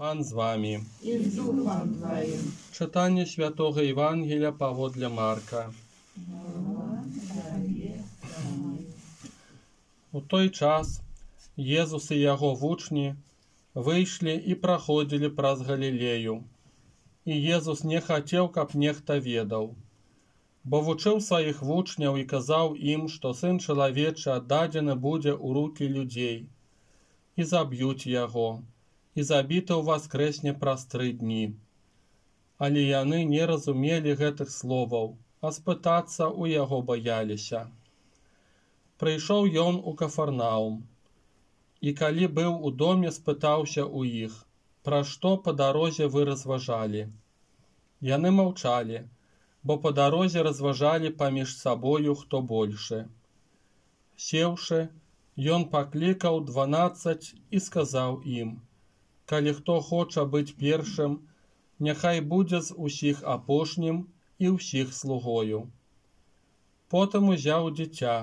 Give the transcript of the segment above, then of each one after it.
Пан з вами. І з духом твоїм. Читання Святого Євангелія паводле Марка. У той час Езус і яго вучні выйшлі і праходзілі праз Галілею. І Езус не хацеў, каб нехта ведаў, бо вучыў сваіх вучняў і казаў ім, што Сын чалавечы аддадзены будзе ў рукі людзей, і заб'юць яго, і забіты ўваскрэсне праз 3 дні. Але яны не разумелі гэтых словаў, а спытацца ў яго баяліся. Прыйшоў ён у Кафарнаум, і калі быў у доме, спытаўся ў іх, пра што па дарозе вы разважалі. Яны маўчалі, бо па дарозе разважалі паміж сабою, хто большы. Сеўшы, ён паклікаў 12 і сказаў ім: калі хто хоча быць першым, няхай будзе з усіх апошнім і ўсіх слугою. Потым узяў дзіця,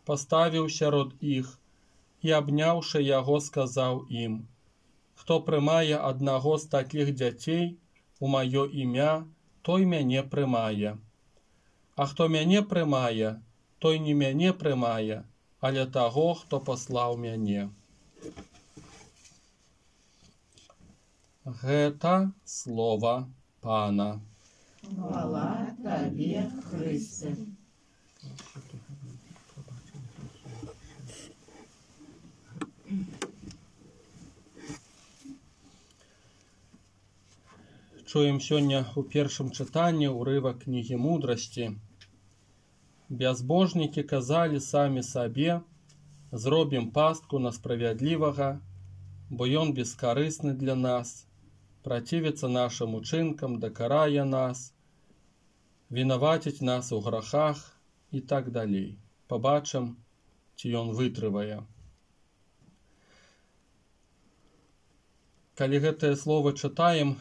паставіў сярод іх і, абняўшы яго, сказаў ім: хто прымае аднаго з такіх дзяцей у маё імя, той мяне прымае. А хто мяне прымае, той не мяне прымае, але таго, хто паслаў мяне. Гэта слова Пана. Хвала Табе, Христе. Чуем сёння у першым чытанні ўрывак кнігі мудрасці. Бязбожнікі казалі самі сабе: зробім пастку на справядлівага, бо ён бескарысны для нас, працівіцца нашым учынкам, дакарае нас, вінаваціць нас у грахах і так далей. Пабачым, ці ён вытрывае. Калі гэтыя словы чытаем,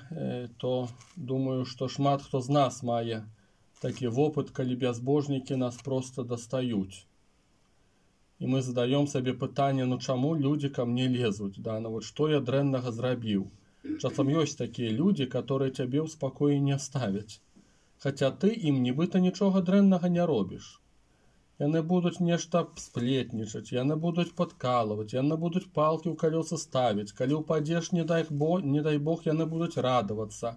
то думаю, што шмат хто з нас мае такі вопыт, калі бязбожнікі нас проста дастаюць. І мы задаём сабе пытанне: ну чаму людзі ка мне лезуць, да? Ну вот што я дрэннага зрабіў? Часам ёсць такія людзі, которые цябе ў спакоі не ставяць, хаця ты ім нібыта нічога дрэннага не робіш. Яны будуць нешта сплетнічаць, яны будуць падкалваць, яны будуць палкі ў калёсы ставіць, калі ўпадзеш, не дай Бог, яны будуць радавацца.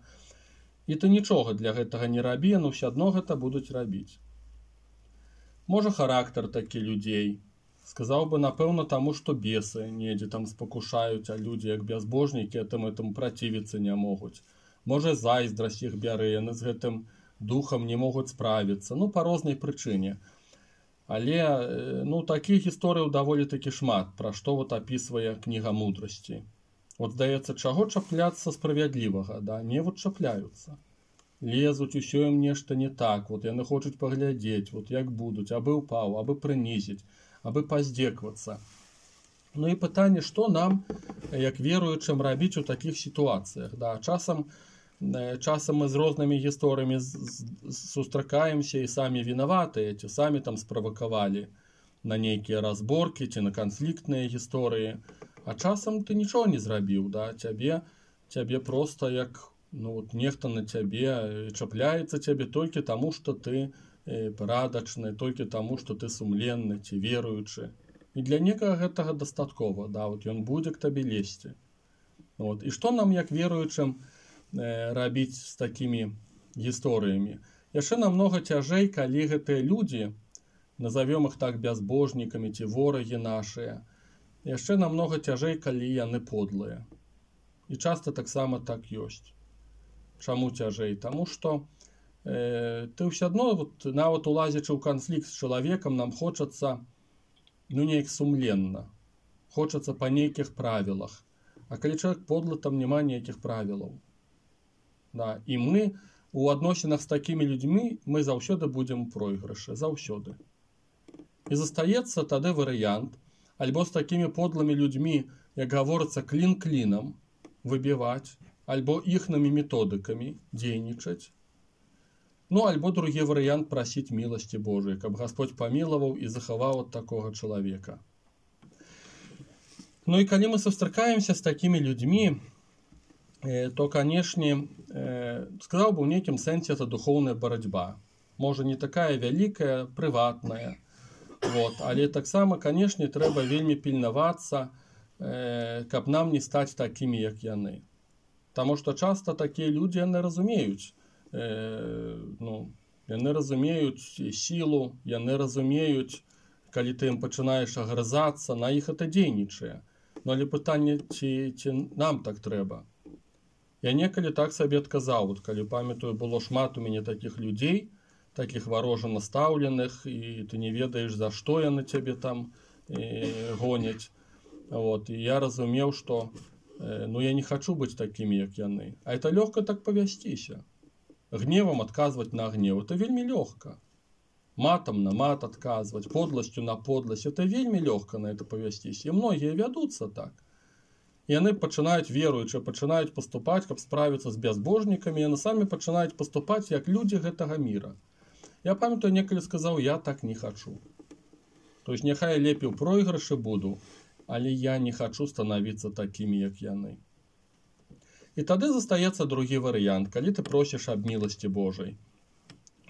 І ты нічога для гэтага не рабі, яны ўсё адно гэта будуць рабіць. Можа, характар такі людзей. Сказаў бы, напэўна, таму, што бесы недзе там спакушаюць, а людзі, як бязбожнікі, гэтым працівіцца не могуць. Можа, зайздрасць іх бярэ, яны з гэтым духам не могуць справіцца, ну, па рознай прычыне. Але, ну, такіх гісторыяў даволі такі шмат, пра што вот апісвае кніга мудрасці. От, здаецца, чаго чапляцца справядлівага, да? Не вот чапляюцца. Лезуць, усё ім нешта не так, вот яны хочуць паглядзець, вот як будуць, абы ўпаў, абы прынізіць, абы паздзеквацца. Ну і пытанне, што нам, як веруючым, рабіць у такіх сітуацыях, да? Часам мы з рознымі гісторыямі сустракаемся і самі вінаватыя, ці самі там справакавалі на нейкія разборкі ці на канфліктныя гісторыі, а часам ты нічого не зрабіў, да? Цябе проста як, ну, вот нехта на цябе чапляецца цябе толькі таму, што ты парадачны, толькі таму, што ты сумленны ці веруючы. І для некага гэтага дастаткова, да? Вот ён будзе к табе лезці. Вот. І што нам, як веруючым, рабіць з такімі гісторыямі? Яшчэ намнога цяжэй, калі гэтыя людзі, назовём іх так бязбожнікамі ці ворагі нашыя, яшчэ намнога цяжэй, калі яны подлыя. І часта таксама так ёсць. Чаму цяжэй? Таму што ты ўсё адно, вот, нават улазячы ў канфлікт з чалавекам, нам хочацца, ну, неяк сумленна. Хочацца па нейкіх правілах. А калі чалавек подлы, там няма ніякіх правілаў. Да, і мы у адносінах з такімі людзьмі мы заўсёды будзем у пройгрышы, заўсёды. І застаецца тады варыянт, альбо з такімі подлымі людзьмі, як гаворыцца, клін клінам выбіваць, альбо іхнымі методыкамі дзейнічаць. Ну, альбо другі варыянт — прасіць міласці Божай, каб Гасподзь памілаваў і захаваў ад такога чалавека. Ну і калі мы сустракаемся з такімі людзьмі, то, канешне, сказаў бы, у нейкім сэнсе это духоўная барацьба. Можа, не такая вялікая, прыватная. Вот. Але таксама, канешне, трэба вельмі пільнавацца, каб нам не стаць такімі, як яны. Таму што часта такія людзі, яны разумеюць, яны разумеюць сілу, яны разумеюць, калі ты ім пачынаеш агрызацца, на іх это дзейнічае. Но але пытанне, ці нам так трэба. Я некалі так сабе адказаў, вот, калі памятаю, было шмат у мяне такіх людзей, такіх варожа настаўленых, і ты не ведаеш, за што яны цябе там гоняць. Вот. І я разумеў, што я не хачу быць такімі, як яны. А это лёгка так павясціся. Гневам адказваць на гнев, это вельмі лёгка. Матам на мат адказваць, подласцю на подласць, это вельмі лёгка на это павясціся. І многія вядуцца так. Яны пачынаюць, веруючы, пачынаюць паступаць, каб справіцца з бязбожнікамі, яны самі пачынаюць паступаць як людзі гэтага міра. Я памятаю, некалі сказаў, я так не хачу. То есть няхай лепей у пройгрышы буду, але я не хачу станавіцца такімі, як яны. І тады застаецца другі варыянт, калі ты просіш аб міласці Божай.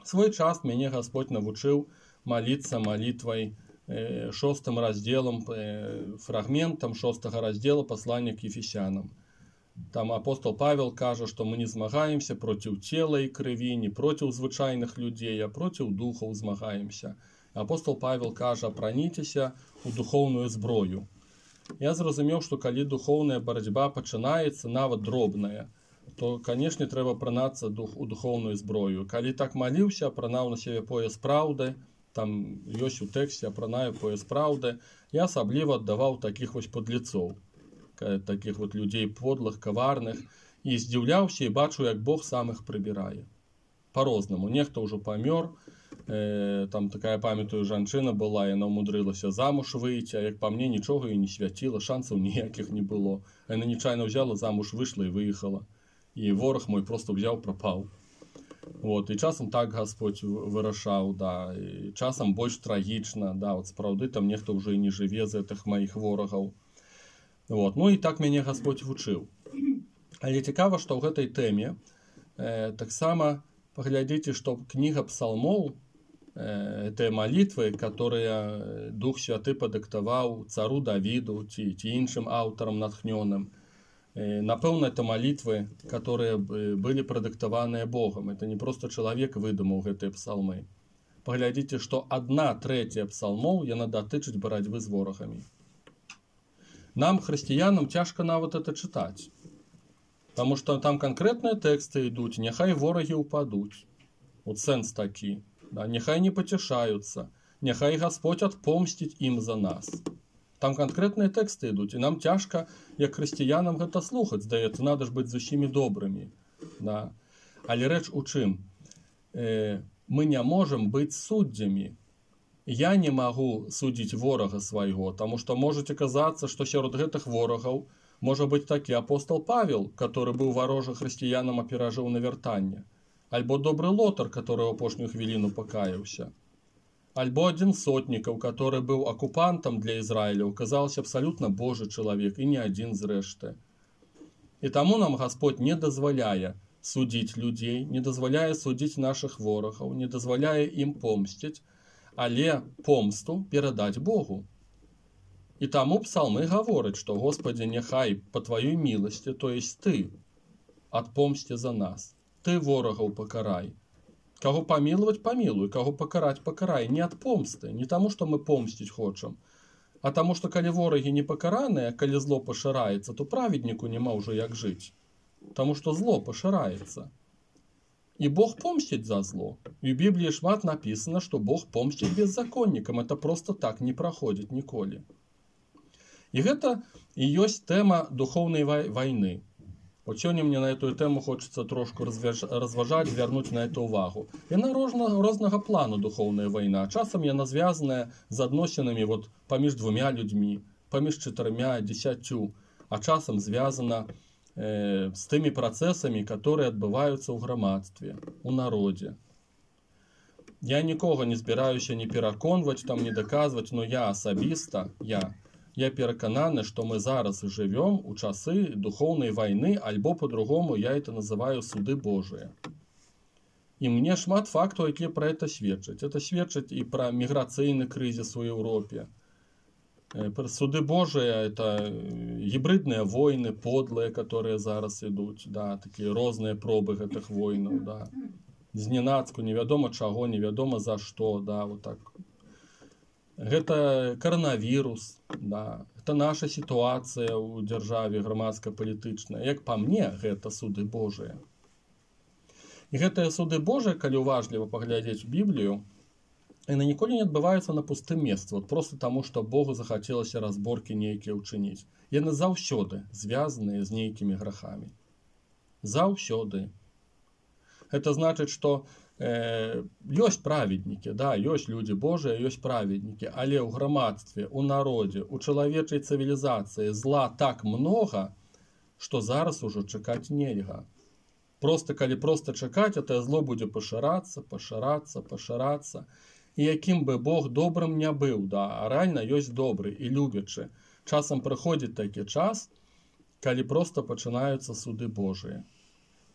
Свой час мяне Гасподь навучыў маліцца малітвай 6 разделом, фрагментом 6 раздела послания к Ефесянам. Там апостол Павел кажа, што мы не змагаемся проціў цела і крыві, не проціў звычайных людзей, а проціў духаў змагаемся. Апостол Павел кажа, апраніцеся у духоўную зброю. Я зразумеў, што калі духоўная барацьба пачынаецца, нават дробная, то, канешне, трэба апранацца у духоўную зброю. Калі так маліўся, апранаў на сябе пояс праўды, там ёсць у тэксце апранаю пояс праўды, я асабліва аддаваў такіх вось подлецоў, такіх вот людзей подлых, каварных, і здзіўляўся і бачу, як Бог сам іх прыбірае. Па-рознаму. Нехта ўжо памёр, там такая, памятаю, жанчына была, яна ўмудрылася замуж выйти, а як па мне, нічога і не свяціла, шансаў ніякіх не было. Яна нечайна ўзяла, замуж выйшла і выехала. І вораг мой просто ўзяў, прапаў. Вот, і часам так Гасподь вырашаў, да, і часам больш трагічна, да, от сапраўды там нехта ўжо і не жыве з гэтых маіх ворагаў. Вот, і так мяне Гасподь вучыў. Але цікава, што ў гэтай тэме таксама паглядзіце, што кніга псалмоў, гэтыя малітвы, которые Дух Святы падыктаваў цару Давіду ці іншым аўтарам натхнёным, напэўна, это молитвы, которые были продиктованы Богом. Это не просто человек выдумал гэтыя псалмы. Паглядзіце, што 1/3 псалмоў яна датычыць барацьбы з ворагамі. Нам, хрысціянам, цяжка нават это чытаць. Таму што там канкрэтныя тэксты ідуць, няхай ворагі ўпадуць. Вот сэнс такі. Да, няхай не пацяшаюцца, няхай Гасподь адпомсціць ім за нас. Там канкрэтныя тэксты ідуць, і нам цяжка, як хрысціянам, гэта слухаць. Здаецца, надо ж быць з усімі добрымі. Да. Але рэч у чым? Мы не можам быць суддзямі. Я не магу судзіць ворага свайго, таму што можаце казацца, што сярод гэтых ворагаў можа быць такі апостол Павел, который быў варожа хрысціянам, а перажыў навяртанне. Альбо добры Лотар, который ў апошнюю хвіліну пакаяўся. Альбо адзін з сотнікаў, который быў акупантам для Ізраіля, оказаўся абсалютна Божы чалавек, і не адзін зрэшты. І таму нам Гасподь не дазваляе судзіць людзей, не дазваляе судзіць нашых ворагаў, не дазваляе ім помсціць, але помсту перадаць Богу. І таму псалмы гавораць, што Господи, няхай па тваёй міласці, то есть ты, адпомсці за нас, ты ворагаў пакарай. Каго памілаваць, памілуй, каго пакараць, пакарай. Не ад помсты, не таму, што мы помсціць хочам, а таму, што калі ворагі не пакараныя, калі зло пашыраецца, то праведніку няма ўжо як жыць. Таму што зло пашыраецца. І Бог помсціць за зло. І ў Бібліі шмат напісана, што Бог помсціць беззаконнікам. Это просто так не праходзіць ніколі. І гэта і ёсць тэма духоўнай вайны. Вот сёння мне на эту тему хочется трошку разважаць, звярнуць на это увагу. Яна рознага плану духоўная вайна. Часам яна звязаная з адносінамі вот паміж 2 людзьмі, паміж 4, 10, а часам звязана з тымі працэсамі, которые адбываюцца ў грамадстве, у народзе. Я нікога не збіраюся не пераконваць, там не даказваць, но я асабіста, я перакананы, што мы зараз жывём у часы духоўнай вайны, альбо по-другому я это называю суды Божыя. І мне шмат фактаў, якія пра это сведчаць. Это сведчыць і пра міграцыйны крызіс у Еўропе. Суды Божыя — это гібридныя войны, подлыя, которые зараз ідуць, да, такія розныя пробы гэтых войнаў, да. Зненацку, невядома чаго, невядома за што, да, вот так. Гэта коронавірус, да, это наша сітуацыя ў дзяржаве грамадска-палітычная. Як па мне, гэта суды Божыя. І гэтыя суды Божыя, калі уважліва паглядзець Біблію, яны ніколі не адбываюцца на пустым месцы, вот просто таму, што Богу захацелася разборкі нейкія ўчыніць. Яны заўсёды звязаныя з нейкімі грахамі. Заўсёды. Это значыць, што ёсць праведнікі, да, ёсць людзі Божыя, ёсць праведнікі, але ў грамадстве, у народзе, у чалавечай цывілізацыі зла так многа, што зараз ужо чакаць нельга. Калі проста чакаць, это зло будзе пашырацца. І якім бы Бог добрым не быў, да, а рэальна ёсць добры і любячы. Часам прыходзіць такі час, калі проста пачынаюцца суды Божыя.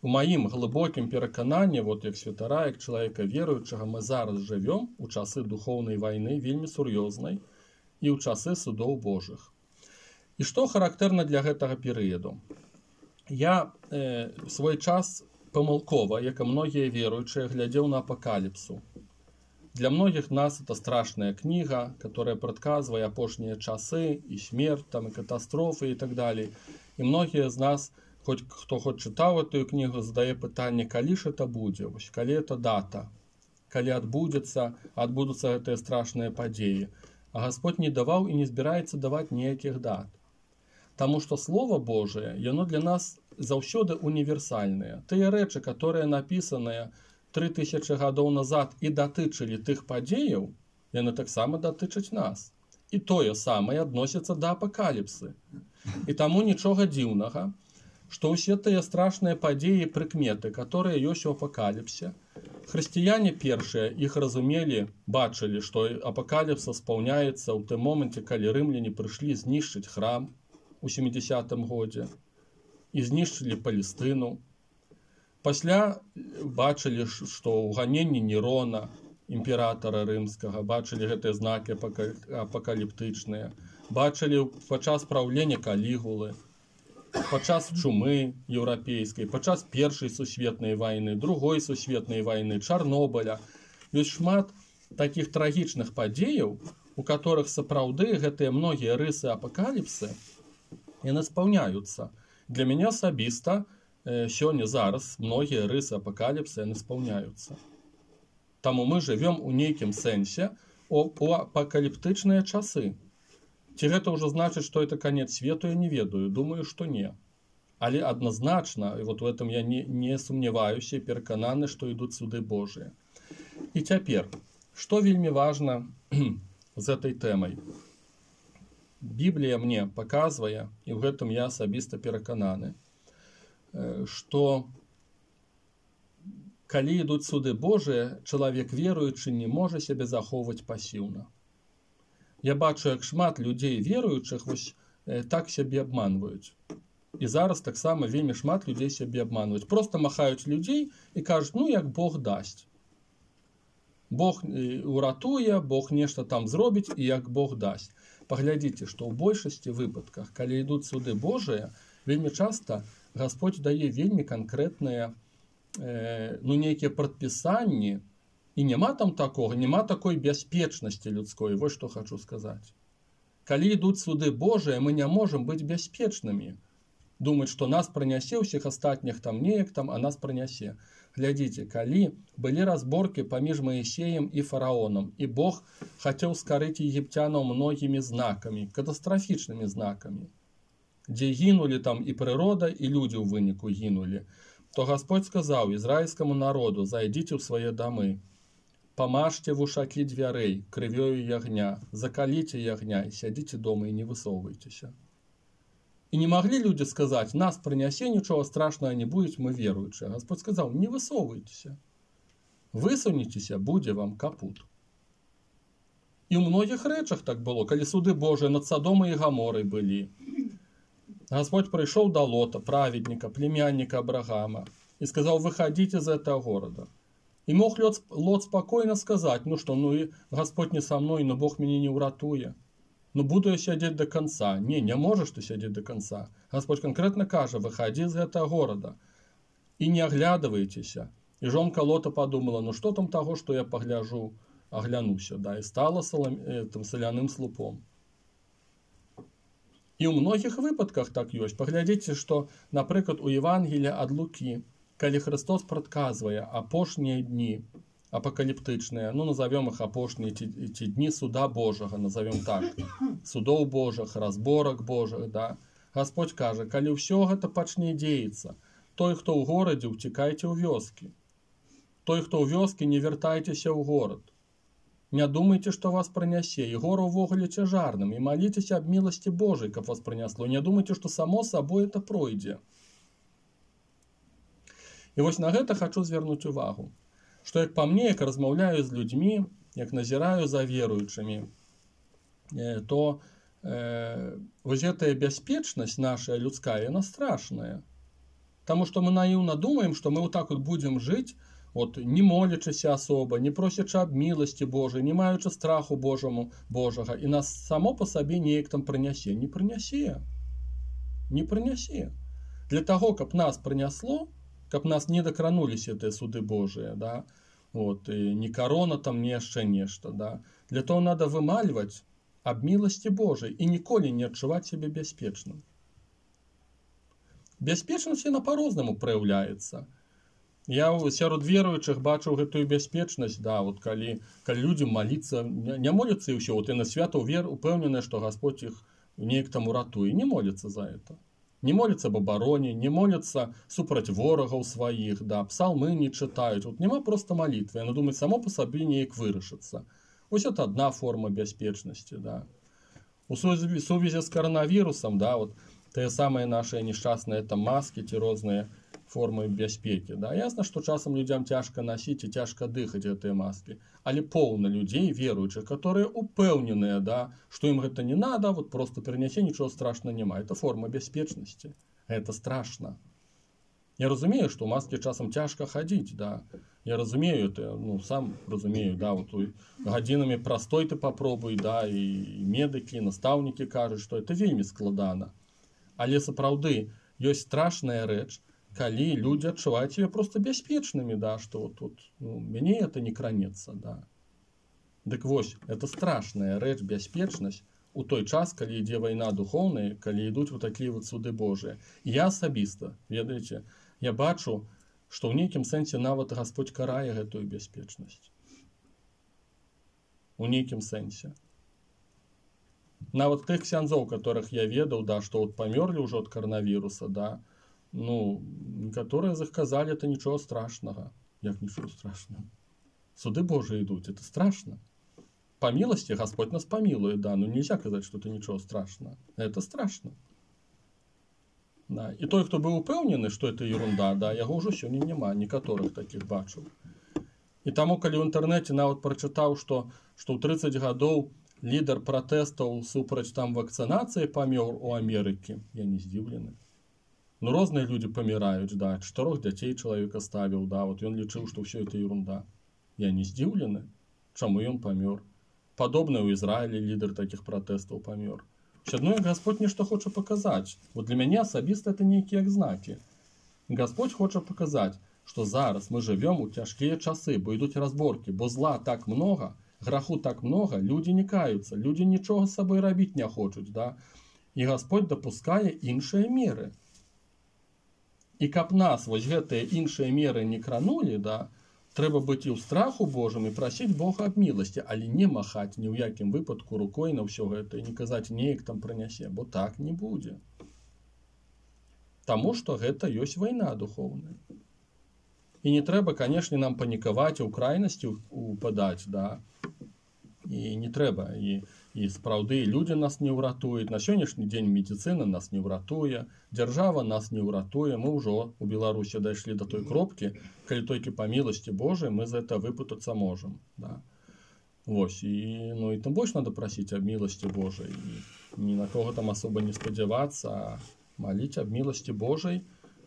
У маім глыбокім перакананні, вот як святара, як чалавека веруючага, мы зараз жывём у часы духоўнай вайны, вельмі сур'ёзнай, і ў часы судоў Божых. І што характэрна для гэтага перыяду? Я свой час памылкова, як і многія веруючыя, глядзеў на апакаліпсу. Для многіх нас это страшная кніга, которая прадказвае апошнія часы, і смерць, там, і катастрофы, і так далее. І многія з нас, хто хоць чытаў эту кнігу, задае пытанне, калі ж это будзе, калі это дата, калі адбудуцца гэтыя страшныя падзеі. А Господь не даваў і не збіраецца даваць ніякіх дат. Таму што Слово Божие, яно для нас заўсёды універсальнае. Тыя рэчы, которые напісаныя 3000 гадоў назад і датычылі тых падзеяў, яны таксама датычаць нас. І тое самае адносіцца да апакаліпсы. І таму нічога дзіўнага, што ўсе тыя страшныя падзеі і прыкметы, которые ёсць у апакаліпсе, хрысціяне першыя іх разумелі, бачылі, што апакаліпса спаўняецца ў тым моманце, калі рымляне прыйшлі знішчыць храм у 70-м годзе і знішчылі Палестыну. Пасля бачылі, што ў ганенні Нерона, імператара рымскага, бачылі гэтыя знакі апакаліптычныя, бачылі падчас праўлення Калігулы, падчас чумы еўрапейскай, падчас Першай сусветнай вайны, Другой сусветнай вайны, Чарнобыля. Ёсць шмат такіх трагічных падзеяў, у которых сапраўды гэтыя многія рысы апакаліпсы яны спаўняюцца. Для мяне асабіста сёння зараз многія рысы апакаліпсы яны спаўняюцца. Таму мы жывём у нейкім сэнсе у апакаліптычныя часы. Ці гэта ўжо значыць, што это канец свету, я не ведаю, думаю, што не. Але адназначна, і вот в этом я не сумняваюся, перакананы, што ідуць суды Божыя. І цяпер, што вельмі важна з этой тэмай? Біблія мне паказвае, і ў гэтым я асабіста перакананы, што калі ідуць суды Божыя, чалавек веруючы не можа сябе захоўваць пасіўна. Я бачу, як шмат людзей веруючых так сябе абманваюць. І зараз таксама вельмі шмат людзей сябе абманваюць. Проста махаюць людзей і кажуць, ну як Бог дасць. Бог уратуе, Бог нешта там зробіць, і як Бог дасць. Паглядзіце, што ў большасці выпадках, калі ідуць суды Божыя, вельмі часта Господь дае вельмі канкрэтныя нейкія прадпісанні, і няма там такога, няма такой бяспечнасці людской. Вось што хачу сказаць. Калі ідуць суды Божыя, мы не можам быць бяспечнымі. Думаць, што нас пранясе, ўсіх астатніх там неяк там, а нас пранясе. Глядзіце, калі былі разборкі паміж Маісеем і фараонам, і Бог хацеў скарыць егіпцянаў многімі знакамі, катастрафічнымі знакамі, дзе гінулі там і прырода, і людзі ў выніку гінулі, то Господь сказаў ізраільскаму народу, зайдзіце ў свае дамы, памажце вушакі дзвярэй крывёю ягня, закаліце ягня і сядзіце дома і не высоўвайцеся. І не маглі людзі сказаць, нас прынясе, нічога страшнага не будзе, мы веруючыя. Господь сказаў, не высоўвайцеся. Высунецеся, будзе вам капут. І ў многіх рэчах так было, калі суды Божыя над Садомай і Гаморай былі. Господь прыйшоў да Лота, праведніка, племянніка Абрагама, і сказаў: выходите из этого города. І мог Лот спокойно сказать: ну что, ну и Господь не со мной, но Бог меня не уратуе. Ну буду я сядзець до конца. Не можешь ты сядзець до конца. Господь конкретно кажа: выходи из этого города и не оглядывайтеся. И жонка Лота подумала: ну что там того, что я погляжу, оглянуся, да, и стала соляным слупом. І ў многіх выпадках так ёсць. Паглядзіце, што, напрыклад, у Евангелія ад Лукі, калі Христос прадказвае апошнія дні апакаліптычныя, ну назовем их апошнія ці дні суда Божага, назовем так, судоў Божых, разборак Божых, да. Господь кажа: калі ўсё гэта пачне дзеяцца, той, хто ў горадзе, уцікайце ў вёскі. Той, хто ў вёскі, не вяртайцеся ў горад. Не думайте, что вас пронесе, и гору увогуле цяжарным, и молитесь об милости Божией, как вас принесло. Не думайте, что само собой это пройдзе. И вот на гэта хочу звярнуць увагу, что, як по мне, як размаўляю з людьми, як назіраю за веруючымі, то вось гэтая бяспечнасць наша людская, она страшная. Потому что мы наивно думаем, что мы вот так вот будем жить, вот, не молячыся особо, не просячы об милости Божией, не маючы страху Божага, и нас само по себе неяк там прынясе. Не прынясе. Не прынясе. Для того, каб нас прынясло, каб нас не докранулись эти суды Божие, да, вот, и не корона там, не яшчэ нешта, да, для того надо вымальваць об милости Божией и ніколі не адчуваць себе бяспечным. Бяспечнасць яна по-рознаму праяўляецца. Я сярод веруючых бачыў гэтую бяспечнасць, да, вот калі людзі маліцца, не моляцца і ўсё, вот яны свята упэўненыя, што Господь іх неяк там уратуе, не моляцца за это. Не моляцца об абароне, не моляцца супраць ворагаў сваіх, да, псалмы не чытаюць, вот няма проста малітвы, яны думаюць, само по сабе неяк вырашыцца. Вось это одна форма бяспечнасці, да. У сувязі з коронавірусам, да, вот тыя самыя наши несчастныя там маски, ці розныя формы бяспекі. Да? Ясно, што часам людям цяжка насіць і цяжка дыхаць гэтыя маскі. Але поўна людзей, веруючых, которые упэўненыя, да, што ім гэта не надо, вот просто перанясе, нічого страшного няма. Это форма бяспечнасці. Это страшно. Я разумею, што ў маскі часам цяжка хадзіць, да. Я разумею это, ну, сам разумею, да, вот гадзінамі прастой ты попробуй, да, і медыкі, настаўнікі кажуць, што это вельмі складана. Але сапраўды ёсць страшная рэч, калі люди адчуваюць себя просто бяспечнымі, да, что вот, ну, мяне это не кранецца, да. Дык вось, это страшная рэч, бяспечнасць у той час, калі ідзе вайна духоўная, калі ідуць вот такія вот суды Божыя. І я асабіста, ведаеце, я бачу, што ў нейкім сэнсе нават Господь карае гэтую бяспечнасць. У нейкім сэнсе. Нават тых ксяндзоў, которых я ведаў, да, што вот памёрлі ўжо ад коронавіруса, да, ну, некоторые из них сказали, это ничего страшного. Як ничего страшного? Суды Божии идут, это страшно. По милости Господь нас помилует, да, но нельзя сказать, что это ничего страшного. Это страшно. Да. И той, кто был упэўнены, что это ерунда, да, яго ўжо сёння няма, некаторых таких бачыў. И таму, калі ў інтэрнэце нават прачытаў, што ў 30 гадоў лідар пратэстаў супраць там вакцынацыі памёр у Амерыкі, я не здзіўлены. Ну, розныя люди паміраюць, да, 4 дзяцей чалавек оставіў, да, вот ён лічыў, што ўсё это ерунда. Я не здзіўлены, чаму ён памёр. Падобна ў Ізраілі лідар такіх пратэстаў памёр. Адно, як Господь нешта хоча паказаць. Вот для мяне асабіста это нейкія знакі. Господь хоча паказаць, што зараз мы жывём у цяжкія часы, бо ідуць разборкі, бо зла так много, граху так много, люди не каюцца, люди нічога з сабой рабіць не хочуць, да. І Господь дапускае іншыя меры. І каб нас вось гэтыя іншыя меры не кранулі, да, трэба быць і ў страху Божым і прасіць Бога аб міласці, але не махаць ні ў якім выпадку рукой на ўсё гэта і не казаць неяк там прынясе, бо так не будзе. Таму што гэта ёсць вайна духоўная. І не трэба, канешне, нам панікаваць і ў крайнасці упадаць, да. І не трэба. І сапраўды людзі нас не ўратуюць. На сённяшні дзень медыцына нас не ўратуе, дзяржава нас не ўратуе. Мы ўжо у Беларусі дайшлі да той кропкі, калі толькі па міласці Божай мы з гэта выпутацца можам. Да. Вось, і, ну, і тым больш надо прасіць аб міласці Божай. І ні на кого там асоба не спадзявацца, а маліць аб міласці Божай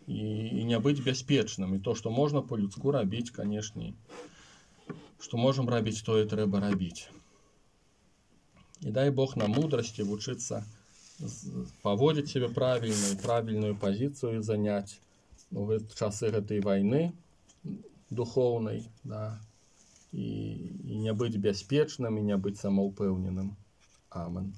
і не быць бяспечным. І то, што можна по-людску рабіць, канешне, што можам рабіць, тое трэба рабіць. І дай Бог нам мудрасці вучыцца паводзіць сябе правільна і правільную пазіцыю заняць у часы гэтай вайны духоўнай, да, і не быць бяспечным, і не быць самаўпэўненым. Амен.